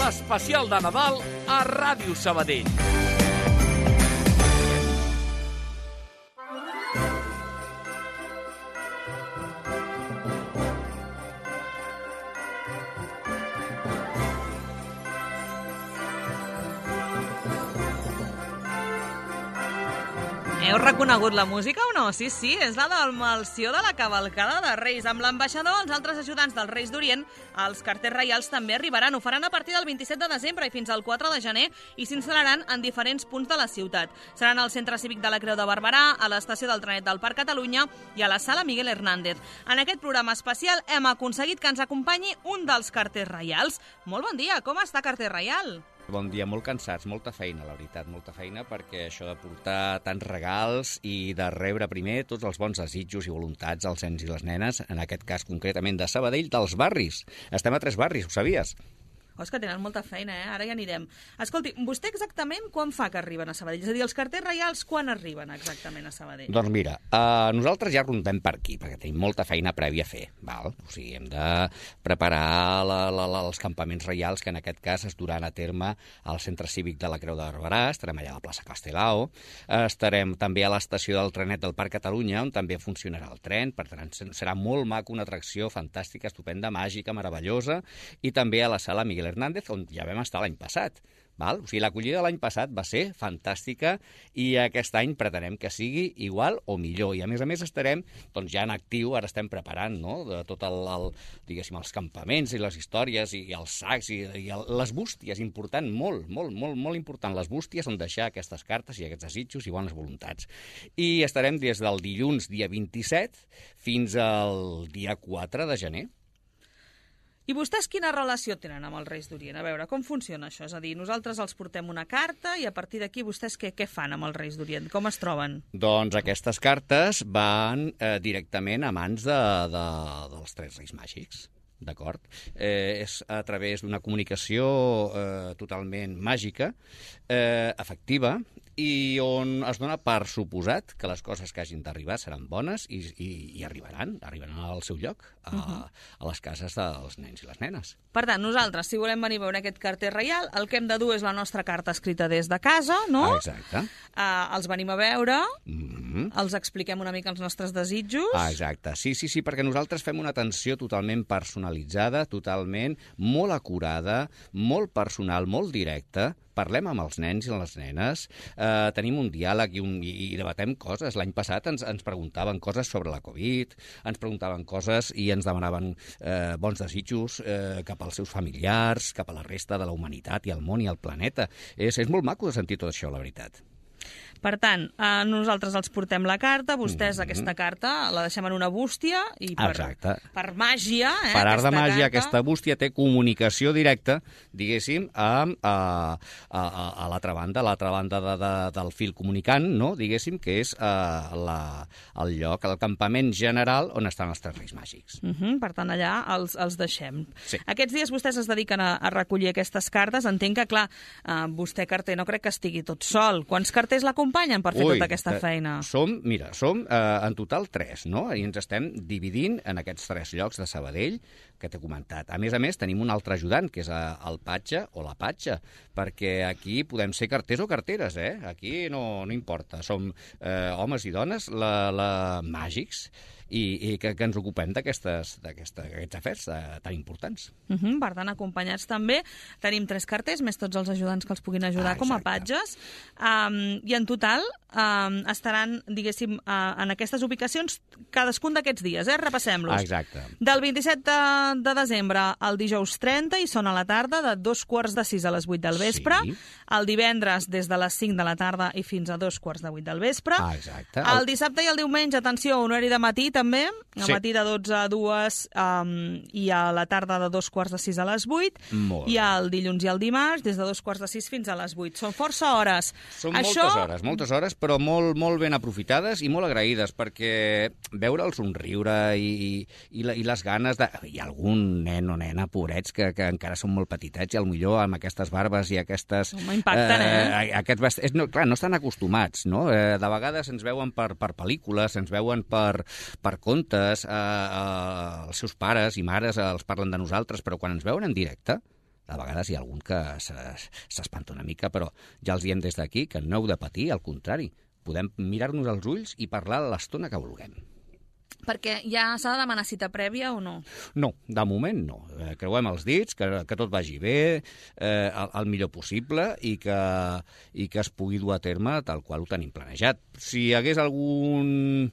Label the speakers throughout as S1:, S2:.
S1: l'especial de Nadal a Ràdio Sabadell.
S2: Heu reconegut la música o no? Sí, és la del Melció de la cavalcada de Reis. Amb l'ambaixador, els altres ajudants dels Reis d'Orient, els carters reials també arribaran. Ho faran a partir del 27 de desembre i fins al 4 de gener i s'instal·laran en diferents punts de la ciutat. Seran al Centre Cívic de la Creu de Barberà, a l'estació del trenet del Parc Catalunya i a la sala Miguel Hernández. En aquest programa especial hem aconseguit que ens acompanyi un dels carters reials. Molt bon dia, com està, carter reial?
S3: Bon dia, molt cansats, molta feina, la veritat, molta feina, perquè això de portar tants regals i de rebre primer tots els bons desitjos i voluntats als nens i les nenes, en aquest cas concretament de Sabadell, dels barris. Estem a 3 barris, ho sabies?
S2: Oh, és que tenen molta feina, Ara ja anirem. Escolti, vostè exactament quan fa que arriben a Sabadell? És a dir, els carters reials quan arriben exactament a Sabadell?
S3: Doncs mira, nosaltres ja rondem per aquí, perquè tenim molta feina prèvia a fer, val? O sigui, hem de preparar els campaments reials, que en aquest cas es duran a terme al Centre Cívic de la Creu de Barberà, estarem allà a la plaça Castelao, estarem també a l'estació del trenet del Parc Catalunya, on també funcionarà el tren, per tant, serà molt maco, una atracció fantàstica, estupenda, màgica, meravellosa, i també a la sala Miguel Hernández, on ja vam estar l'any passat. Val? O sigui, l'acollida de l'any passat va ser fantàstica i aquest any pretenem que sigui igual o millor. I a més estarem doncs, ja en actiu, ara estem preparant, no?, de tot diguéssim, els campaments i les històries i els sacs i les bústies, important, molt important, les bústies on deixar aquestes cartes i aquests desitjos i bones voluntats. I estarem des del dilluns dia 27 fins al dia 4 de gener.
S2: I vostès quina relació tenen amb els Reis d'Orient? A veure, com funciona això? És a dir, nosaltres els portem una carta i a partir d'aquí vostès què fan amb els Reis d'Orient? Com es troben?
S3: Doncs aquestes cartes van directament a mans dels 3 Reis Màgics. D'acord? És a través d'una comunicació totalment màgica, efectiva, i on es dona per suposat que les coses que hagin d'arribar seran bones i arribaran al seu lloc, a les cases dels nens i les nenes.
S2: Per tant, nosaltres, si volem venir a veure aquest carter reial, el que hem de dur és la nostra carta escrita des de casa, no?
S3: Exacte.
S2: Els venim a veure, els expliquem una mica els nostres desitjos.
S3: Exacte, sí, perquè nosaltres fem una atenció totalment personalitzada, totalment molt acurada, molt personal, molt directa. Parlem amb els nens i les nenes, tenim un diàleg i debatem coses. L'any passat ens preguntaven coses sobre la Covid, ens preguntaven coses i ens demanaven bons desitjos cap als seus familiars, cap a la resta de la humanitat i el món i el planeta. És molt maco de sentir tot això, la veritat.
S2: Per tant, nosaltres els portem la carta, vostès aquesta carta la deixem en una bústia i per màgia...
S3: Per art de màgia, aquesta bústia té comunicació directa, diguéssim, a l'altra banda del fil comunicant, no? Diguéssim, que és el lloc, el campament general on estan els 3 Reis Màgics.
S2: Per tant, allà els deixem.
S3: Sí.
S2: Aquests dies vostès es dediquen a recollir aquestes cartes. Entenc que, clar, vostè, carter, no crec que estigui tot sol. Quants carters l'acompanyen per fer tota aquesta feina?
S3: Som en total 3, no? I ens estem dividint en aquests 3 llocs de Sabadell que t'he comentat. A més, tenim un altre ajudant, que és el patge o la patxa, perquè aquí podem ser carters o carteres, Aquí no importa. Som homes i dones màgics i que ens ocupem d'aquests afers tan importants.
S2: Per tant, acompanyats també. Tenim 3 carters, més tots els ajudants que els puguin ajudar com a patges. I en total estaran, diguéssim, en aquestes ubicacions cadascun d'aquests dies. Repassem-los.
S3: Exacte.
S2: Del 27 de desembre al dijous 30 i són a la tarda de 2:45 a les 8 del vespre.
S3: Sí.
S2: El divendres des de les 5 de la tarda i fins a 2:45 del vespre.
S3: Exacte.
S2: El dissabte i el diumenge, atenció, horari de matí també, a matí de 12 a 2 i a la tarda de 2:45 a les 8. I el dilluns i el dimarts des de 2:45 fins a les 8. Són força hores.
S3: Són moltes hores, però molt ben aprofitades i molt agraïdes, perquè veure el somriure i les ganes de... Hi ha algun nen o nena, pobrets, que encara són molt petitets i potser amb aquestes barbes i aquestes...
S2: Impacten,
S3: Clar, no estan acostumats, no? De vegades ens veuen per pel·lícules, ens veuen per contes, els seus pares i mares els parlen de nosaltres, però quan ens veuen en directe, A vegades hi ha algun que s'espanta una mica, però ja els diem des d'aquí que no heu de patir, al contrari. Podem mirar-nos als ulls i parlar l'estona que vulguem.
S2: Perquè ja s'ha de demanar cita prèvia o no?
S3: No, de moment no. Creuem els dits, que tot vagi bé, el millor possible i que es pugui dur a terme tal qual ho tenim planejat. Si hi hagués algun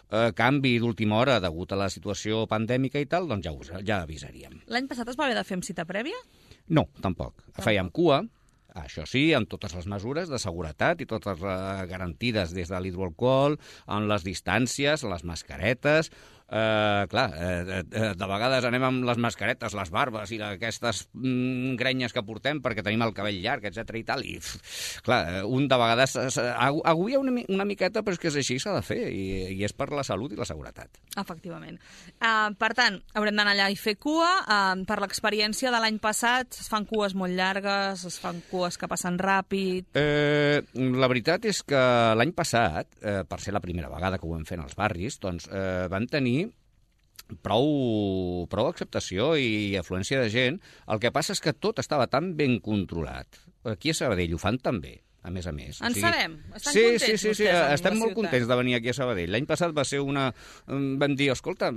S3: canvi d'última hora degut a la situació pandèmica i tal, doncs ja avisaríem.
S2: L'any passat es va haver de fer amb cita prèvia?
S3: No, tampoc. Fèiem cua, això sí, amb totes les mesures de seguretat i totes garantides des de l'hidroalcohol, amb les distàncies, les mascaretes. De vegades anem amb les mascaretes, les barbes i aquestes grenyes que portem perquè tenim el cabell llarg, etc i tal. I, clar, un de vegades agobia una miqueta, però és que és així, s'ha de fer, i és per la salut i la seguretat.
S2: Efectivament. Per tant, haurem d'anar allà i fer cua. Per l'experiència de l'any passat, es fan cues molt llargues, es fan cues que passen ràpid...
S3: La veritat és que l'any passat, per ser la primera vegada que ho vam fer en els barris, doncs van tenir prou acceptació i afluència de gent. El que passa és que tot estava tan ben controlat. Aquí a Sabadell ho fan tan bé, a més.
S2: En sabem? Estan contents vostès?
S3: Sí, estem molt contents de venir aquí a Sabadell. L'any passat va ser vam dir, escolta,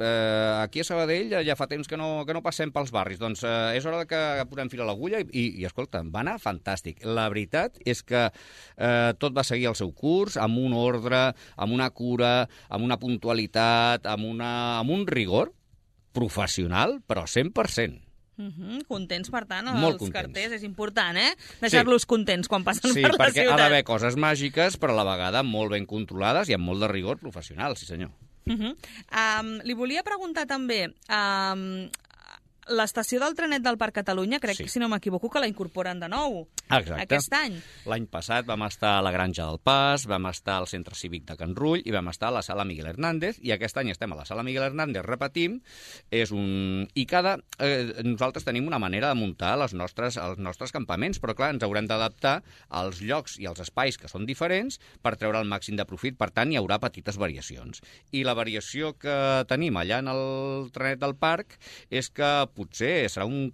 S3: aquí a Sabadell ja fa temps que no passem pels barris, doncs és hora que posem fil a l'agulla i escolta, va anar fantàstic. La veritat és que tot va seguir el seu curs, amb un ordre, amb una cura, amb una puntualitat, amb un rigor professional, però 100%.
S2: Contents, per tant,
S3: molt
S2: els
S3: contents.
S2: carters. És important, deixar-los contents quan passen per la ciutat. Sí,
S3: perquè ha d'haver coses màgiques, però a la vegada molt ben controlades i amb molt de rigor professional, sí senyor.
S2: Li volia preguntar també... L'estació del trenet del Parc Catalunya, crec que, si no m'equivoco, que la incorporen de nou.
S3: Exacte.
S2: Aquest any.
S3: L'any passat vam estar a la Granja del Pas, vam estar al Centre Cívic de Can Rull i vam estar a la Sala Miguel Hernández, i aquest any estem a la Sala Miguel Hernández, repetim, i nosaltres tenim una manera de muntar els nostres campaments, però clar, ens haurem d'adaptar als llocs i als espais que són diferents per treure el màxim de profit, per tant hi haurà petites variacions. I la variació que tenim allà en el trenet del parc és que potser serà un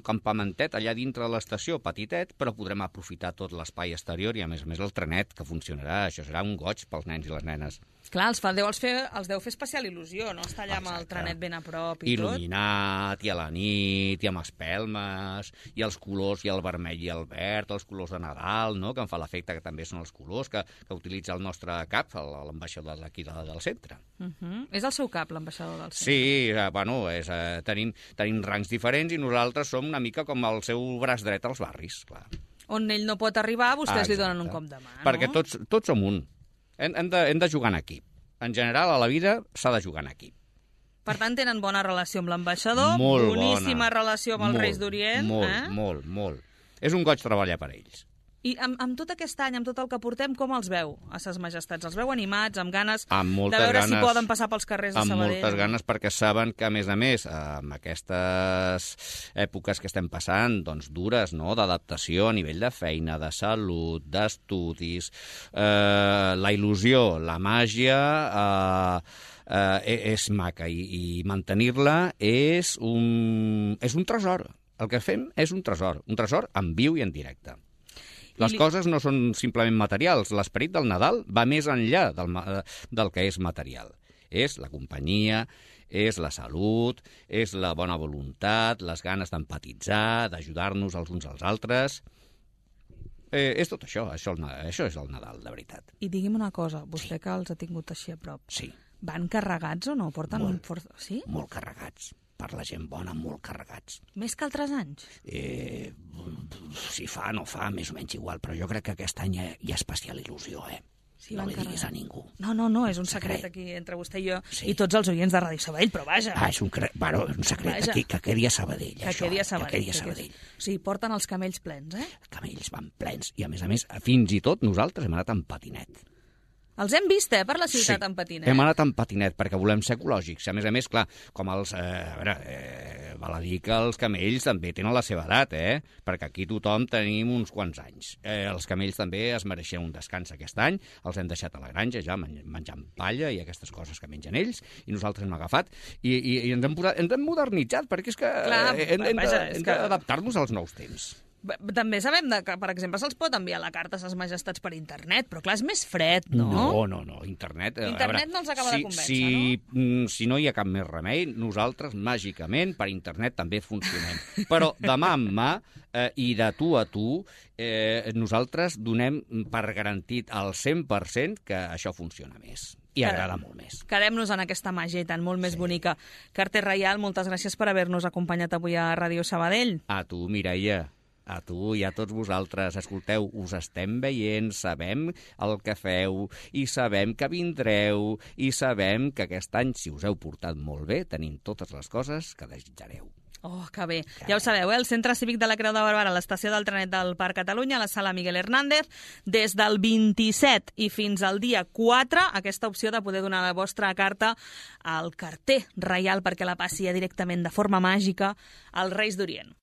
S3: campamentet allà dintre de l'estació, petitet, però podrem aprofitar tot l'espai exterior i, a més el trenet, que funcionarà. Això serà un goig pels nens i les nenes.
S2: Clar, els deu fer especial il·lusió, no? Estar allà amb el trenet ben a prop i tot.
S3: Il·luminat, i a la nit, i amb espelmes, i els colors, i el vermell i el verd, els colors de Nadal, no?, que em fa l'efecte que també són els colors que utilitza el nostre cap, l'ambaixador d'aquí del centre.
S2: És el seu cap, l'ambaixador del centre?
S3: Sí, bueno, tenim rangs diferents i nosaltres som una mica com el seu braç dret als barris, clar.
S2: On ell no pot arribar, vostès li donen un cop de mà, no?
S3: Perquè tots som un. Hem de jugar en equip. En general, a la vida s'ha de jugar en equip.
S2: Per tant, tenen bona relació amb l'ambaixador, boníssima relació amb els Reis d'Orient.
S3: Molt. És un goig treballar per ells.
S2: I amb tot aquest any, amb tot el que portem, com els veu, a ses majestats? Els veu animats, amb ganes de veure si poden passar pels carrers de Sabadell?
S3: Amb moltes ganes, perquè saben que, a més, amb aquestes èpoques que estem passant, doncs dures, no?, d'adaptació a nivell de feina, de salut, d'estudis, la il·lusió, la màgia... és maca i mantenir-la és un tresor. El que fem és un tresor en viu i en directe. Les coses no són simplement materials. L'esperit del Nadal va més enllà del que és material. És la companyia, és la salut, és la bona voluntat, les ganes d'empatitzar, d'ajudar-nos els uns als altres... És tot això. Això és el Nadal, de veritat.
S2: I digui'm una cosa, vostè que els ha tingut així a prop.
S3: Sí.
S2: Van carregats o no? Porten sí?
S3: Molt carregats. Per la gent bona, molt carregats.
S2: Més que altres anys?
S3: Si fa, no fa, més o menys igual, però jo crec que aquest any hi ha especial il·lusió,
S2: Sí,
S3: no li diguis a ningú.
S2: No, és un secret aquí entre vostè i jo i tots els oients de Ràdio Sabadell, però vaja.
S3: És un secret que quedi a Sabadell, això. Que quedi a Sabadell.
S2: O sigui, porten els camells plens,
S3: Camells van plens, i a més, fins i tot nosaltres hem anat amb patinet.
S2: Els hem vist, per la ciutat en patinet.
S3: Hem anat en patinet perquè volem ser ecològics. A més, clar, com els... val a dir que els camells també tenen la seva edat, perquè aquí tothom tenim uns quants anys. Els camells també es mereixen un descans aquest any, els hem deixat a la granja ja menjant palla i aquestes coses que mengen ells, i nosaltres hem agafat i ens hem modernitzat, perquè és que hem d'adaptar-nos als nous temps.
S2: També sabem que, per exemple, se'ls pot enviar la carta a ses majestats per internet, però clar, és més fred, no?
S3: No. Internet
S2: no els acaba de convèncer, no?
S3: Si no hi ha cap més remei, nosaltres, màgicament, per internet també funcionem. Però de mà en mà i de tu a tu, nosaltres donem per garantit al 100% que això funciona més. I agrada molt més.
S2: Quedem-nos en aquesta màgia i tant, molt més bonica. Carter Reial, moltes gràcies per haver-nos acompanyat avui a Ràdio Sabadell.
S3: A tu, Mireia. A tu i a tots vosaltres. Escolteu, us estem veient, sabem el que feu i sabem que vindreu i sabem que aquest any, si us heu portat molt bé, tenim totes les coses que desitjareu.
S2: Oh, que bé. Ja ho sabeu, el Centre Cívic de la Creu de Barberà, a l'estació del trenet del Parc Catalunya, a la sala Miguel Hernández, des del 27 i fins al dia 4, aquesta opció de poder donar la vostra carta al carter reial perquè la passi directament de forma màgica als Reis d'Orient.